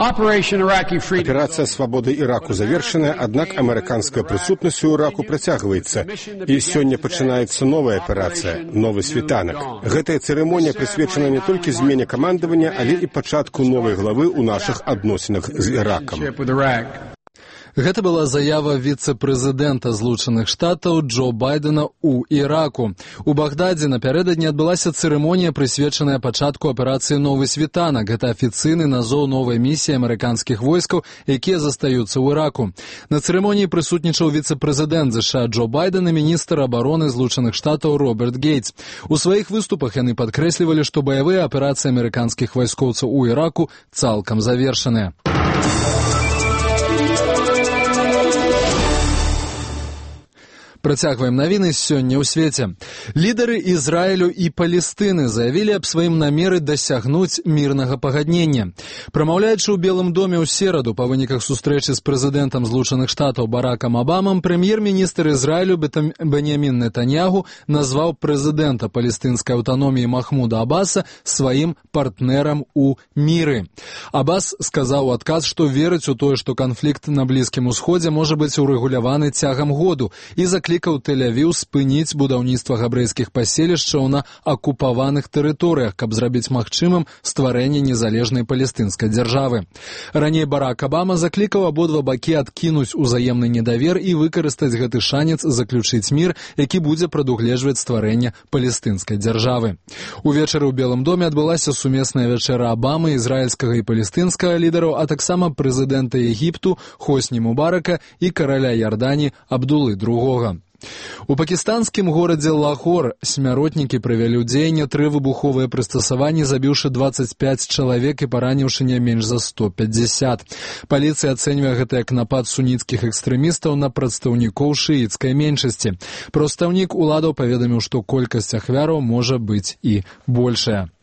Операция «Свобода Ираку» завершена, однако американская присутность у Ираку протягивается. И сегодня начинается новая операция, новый світанак. Гэтая церемония присвячена не только змене командования, але и початку новой главы у наших адносінах з Ираком. Гэта была заява віцэ-прэзідэнта Злучаных Штатаў Джо Байдена ў Іраку. У Багдадзе напярэдадні адбылася цырымонія, прысвечаная пачатку аперацыі «Новы світанак». Гэта афіцыйны назоў новай місіі амерыканскіх войскаў, якія застаюцца ў Іраку. На цырымоніі прысутнічаў віцэ-прэзідэнт США Джо Байден і міністр абароны Злучаных Штатаў Роберт Гейтс. У сваіх выступах яны падкрэслівалі, што баявыя аперацыі амерыканскіх вайскоўцаў у Іраку цалкам завершаныя. Працягваем навіны сёння ў свеце. Лідары Ізраілю і Палестыны заявілі аб сваім намеры дасягнуць мірнага пагаднення. Прамаўляючы ў Белым доме ў сераду па выніках сустрэчы з прэзідэнтам Злучаных Штатаў Баракам Абамам, прэм'ер-міністр Ізраілю Беньямін Нетаньягу назваў прэзідэнта палестынскай аўтаноміі Махмуда Аббаса сваім партнерам у міры. Аббас сказаў у адказ, што верыць у тое, што канфлікт на Блізкім Усходзе можа быць урэгуляваны цягам году, і заклікаў Тель-Авіў спыніць будаўніцтва габрэйскіх паселішчаў на акупаваных тэрыторыях, каб зрабіць магчымым стварэнне незалежнай палестынскай дзяржавы. Раней Барак Абама заклікаў абодва бакі адкінуць узаемны недавер і выкарыстаць гэты шанец заключыць мір, які будзе прадугледжваць стварэнне палестынскай дзяржавы. Увечары ў Белым доме адбылася сумесная вячэра Абамы, ізраільскага і палестынскага лідараў, а таксама прэзідэнта Егіпту Хосні Мубарака і караля Ярдані Абдулы II. У пакістанскім горадзе Лагор смяротнікі правялі ў дзеянне 3 выбуховыя прыстасаванні, забіўшы 25 чалавек і параніўшы не менш за 150. Паліцыя ацэньвае гэта як напад суніцкіх экстрэмістаў на прадстаўнікоў шыіцкай меншасці. Прадстаўнік уладаў паведаміў, што колькасць ахвяраў можа быць і большая.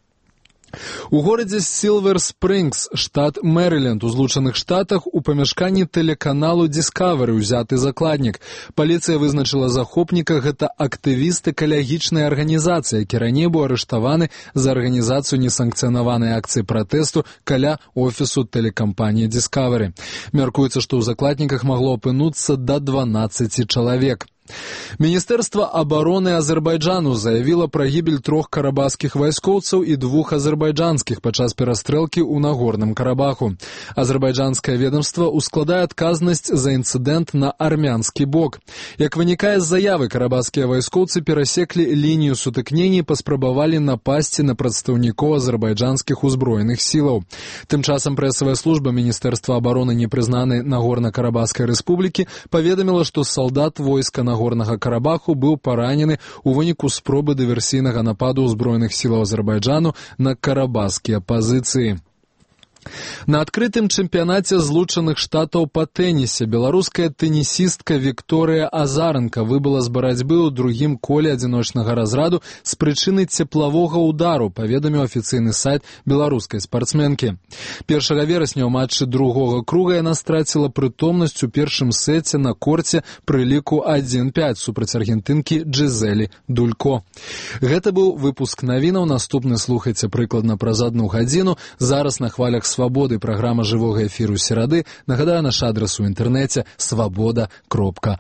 У горадзе Сілвер Спрынгс, штат Мэрыленд, у Злучаных Штатах, у памяшканні тэлеканалу Discovery ўзяты закладнік. Паліцыя вызначыла захопніка, гэта актывіст экалагічнай арганізацыі, які раней быў арыштаваны за арганізацыю несанкцыянаванай акцыі пратэсту каля офісу тэлекампаніі Discovery. Мяркуецца, што ў закладніках магло апынуцца да 12 чалавек. Міністэрства абароны Азербайджану заявіла пра гібель 3 карабахскіх вайскоўцаў і 2 азербайджанскіх падчас перастрэлкі ў Нагорным Карабаху. Азербайджанскае ведомства ускладае адказнасць за інцыдэнт на армянскі бок. Як вынікае з заявы, карабахскія вайскоўцы перасеклі лінію сутыкнення і паспрабавалі напасці на прадстаўнікоў азербайджанскіх узброеных сілаў. Тым часам прэсавая служба Міністэрства абароны непрызнанай Нагорна-Карабахскай рэспублікі паведаміла, што салдат войска Нагорнага Карабаху быў паранены ў выніку спробы дыверсійнага нападу ўзброеных сілаў Азербайджану на карабахскія пазіцыі. На адкрытым чэмпіянаце Злучаных Штатаў па тэнісе беларуская тэнісістка Вікторыя Азаранка выбыла з барацьбы ў другім коле адзіночнага разраду з прычыны цеплавога ўдару, паведаміў афіцыйны сайт беларускай спартсменкі. 1 верасня ў матчы другога круга яна страціла прытомнасць у першым сеце на корце пры ліку 1-5 супраць аргентынкі Джизелі Дулько. Гэта быў выпуск навінаў, наступны слухайце прыкладна праз 1 гадзіну. Зараз на хвалях Свабоды праграма жывога эфіру серады. Нагадаю, наш адрас у інтэрнэце свабода.орг.